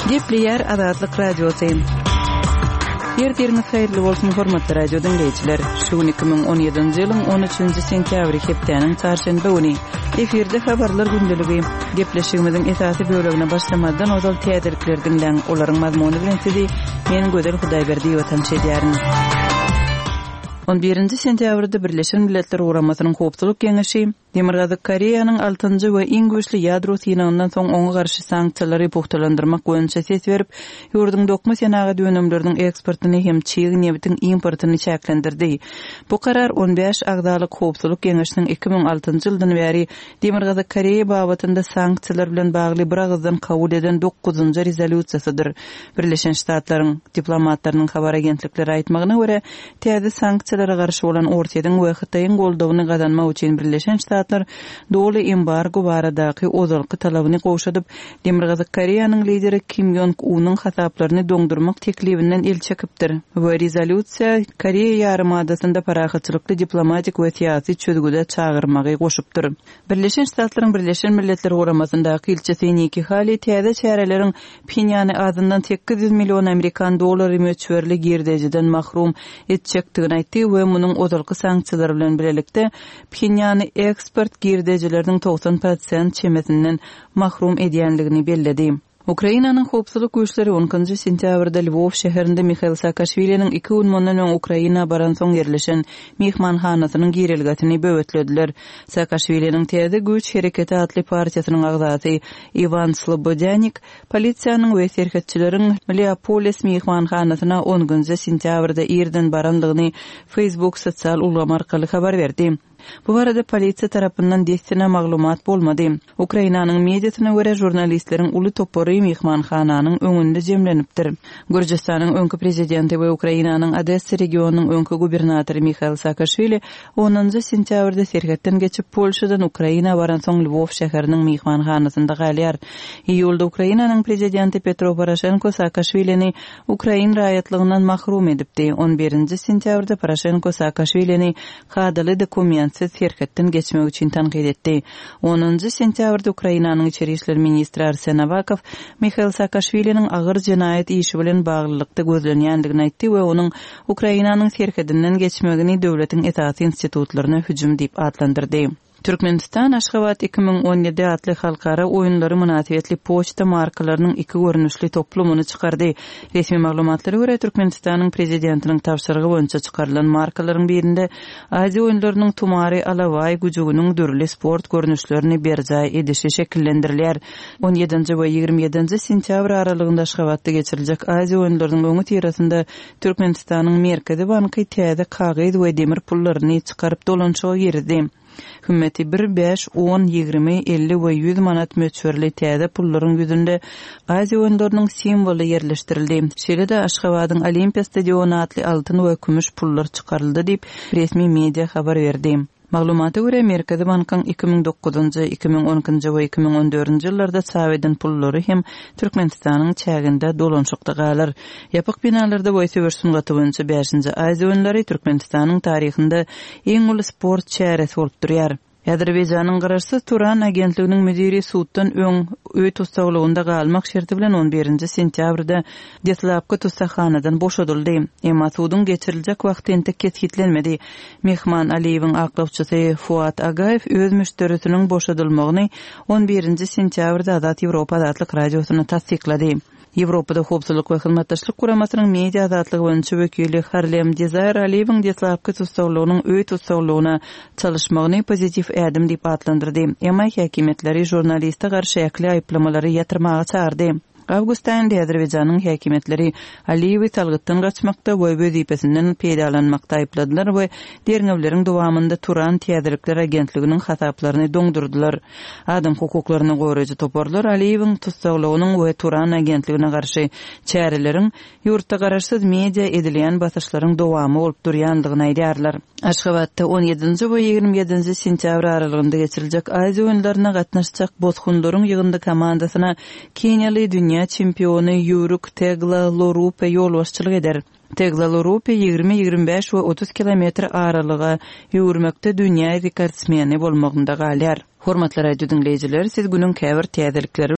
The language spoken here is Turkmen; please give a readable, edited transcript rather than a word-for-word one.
Gepleýär Azatlyk Radiosy. Ertiriňiz haýyrly bolsun, hormatly radio diňleýjiler. Şu gün 2017-nji ýylyň 13-nji sentýabry, hepdäniň çarşenbe güni. Efirde habarlar gündeligi. Gepleşigimiziň esasy bölegine başlamazdan ozal täzelikleri diňläň. Olaryň mazmuny bilen sizi men Gözel Hudaýberdiýewa tanyş edýärin. On birinji sentýabrda Birleşen Milletler Guramasynyň Howpsuzlyk Geňeşi Demirgazyk Koreýanyň altynjy we iň güýçli ýadro synagyndan soň oňa garşy sanksiýalary pugtalandyrmak boýunça ses berip, ýurduň dokma senagat önümleriniň eksportyny hem çig nebitiň importyny çäklendirdi. Bu karar on bäş agzalyk Howpsuzlyk Geňeşiniň 2006-njy ýyldan bäri Demirgazyk Koreýa babatynda sanksiýalar bilen bagly biragyzdan kabul eden dokuzynjy rezolýusiýasydyr. Birleşen Ştatlaryň diplomatlarynyň habar agentliklere aýtmagyna görä, täze sanksiýalara garşy bolan Orsýetiň we Hytaýyň goldawyny gazanmak üçin Birleşen Ştatlar doly embargo baradaky ozalky talabyny gowşadyp, Demirgazyk Koreýanyň lideri Kim Ýong Unyň hasaplaryny doňdurmak teklibinden el çekipdir we rezolýusiýa Koreýa ýarymadasynda parahatçylykly diplomatik we syýasy çözgüde çagyrmagy goşupdyr. Birleşen Ştatlaryň Birleşen Milletler Guramasyndaky ilçisi Nikki Hali täze çäreleriň Phenýany azyndan 800 million amerikan dollary möçberli girdejiden mahrum etjekdigini aýtdy we munuň ozalky sanksiýalar bilen bilelikde Phenýany eksport girdejileriniň 90 prosent çemesinden mahrum edýändigini belledi. Ukrainanyň howpsuzlyk güýçleri on ikinji sentýabrda Lwow şäherinde Mihail Saakaşwiliniň iki gün mundan öň Ukraina baransoň ýerleşen myhmanhanasynyň girelgesini böwetlediler. Saakaşwiliniň Täze güýç hereketi atly partiýasynyň agzasy Iwan Slobodýanik polisiýanyň we serhetçileriň Leopolis myhmanhanasyna on ikinji sentýabrda irden barandygyny Facebook sosial ulgamy arkaly habar berdi. Bu barada polisiýa tarapyndan dessine maglumat bolmady. Ukrainanyň mediasyna görä, žurnalistleriň uly topary myhmanhananyň öňünde jemlenipdir. Gürjüstanyň öňki prezidenti we Ukrainanyň Odessa regionynyň öňki gubernatory Mihail Saakaşwili onunjy sentýabrda serhetden geçip, Polşadan Ukraina baransoň Lwow şäheriniň myhmanhanasynda galýar. Iýulda Ukrainanyň prezidenti Petro Poroşenko Saakaşwilini ukrain raýatlygyndan mahrum edipdi. On birinji sentýabrda Poroşenko Saakaşwilini kadaly dokumentsiz serhetden geçmek üçin tankyt etdi. Onunjy sentýabrda Ukrainanyň içeri işler ministri Arsen Awakow Mihail Saakaşwiliniň agyr jenaýat işi bilen baglylykda gözlenýändigini aýtdy we onuň Ukrainanyň serhedinden geçmegini döwletiň esasy institutlaryna hüjüm diýip atlandyrdy. Türkmenistan Aşgabat 2017 atly halkara oýunlary mynasybetli poçta markalarynyň iki görnüşli toplumyny çykardy. Resmi maglumatlara görä, Türkmenistanyň Prezidentiniň tabşyrygy boýunça çykarylan markalaryň birinde Aziýa oýunlarynyň tumary alabaý güjüginiň dürli sport görnüşlerini berjaý edişi şekillendirilýär. On ýedinji we 27-nji sentýabr aralygynda Aşgabatda geçiriljek Aziýa oýunlarynyň öňüsyrasynda Türkmenistanyň Merkezi banky täze kagyz we demir pullaryny çykaryp dolanyşyga girizdi. Hümmeti bir, bäş, on, 20, 50 we 100 manat möçberli täze pullaryň ýüzünde Aziýa oýunlarynyň simwoly ýerleşdirildi. Şeýle-de Aşgabadyň Olimpiýa stadiony atly altyn we kümüş pullar çykaryldy diýip, resmi media habar berdi. Maglumata görä, Merkezi bankyň 2009-njy, 2012-nji we 2014-nji ýyllarda çap eden pullary hem Türkmenistanyň çäginde dolanyşykda galar. Ýapyk binalarda we söweş sungaty boýunça bäşinji Aziýa oýunlary Türkmenistanyň taryhynda iň uly sport çäresi bolup durýar. Azerbaýjanyň garaşsyz Turan agentliginiň müdiri suddan öň öý tussaglygynda galmak şerti bilen on birinji sentýabrda deslapky tussaghanadan boşadyldy. Emma suduň geçiriljek wagty entek kesgitlenmedi. Mehman Aliýewiň aklawçysy Fuat Agaýew öz müşderisiniň boşadylmagyny on birinji sentýabrda Azat Ýewropa Azatlyk Radiosyna tassyklady. Ýewropada Howpsuzlyk we Hyzmatdaşlyk Guramasynyň media azatlygy boýunça wekili Harlem Dezaýr Aliýewiň deslapky tussaglygynyň öý tussaglygyna çalyşmagyny pozitiw ädim diýip atlandyrdy. Emma häkimiýetleri žurnaliste garşy ähli aýyplamalary ýatyrmaga çagyrdy. Awgust aýynda Azerbaýjanyň häkimiýetleri Aliýewi salgytdan gaçmakda we wezipesinden peýdalanmakda aýypladylar we derňewleriň dowamynda Turan täzelikler agentliginiň hasaplaryny doňdurdylar. Adam hukuklaryny goraýjy toparlar Aliýewiň tussaglygynyň we Turan agentligine garşy çäreleriň ýurtda garaşsyz media edilýän basyşlaryň dowamy bolup durýandygyny aýdýarlar. Aşgabatda on ýedinji we 27-nji sentýabr aralygynda geçiriljek Aziýa oýunlaryna gatnaşjak bosgunlaryň ýygyndy komandasyna keniýaly dünýä çempiony ýüwrük Tegla Lorupe ýolbaşçylyk eder. Tegla Lorupe 20, 25 we 30 kilometr aralyga ýüwürmekde dünýä rekordsmeni bolmagynda galýar. Hormatly radio diňleýjiler, siz günüň käbir täzelikleri.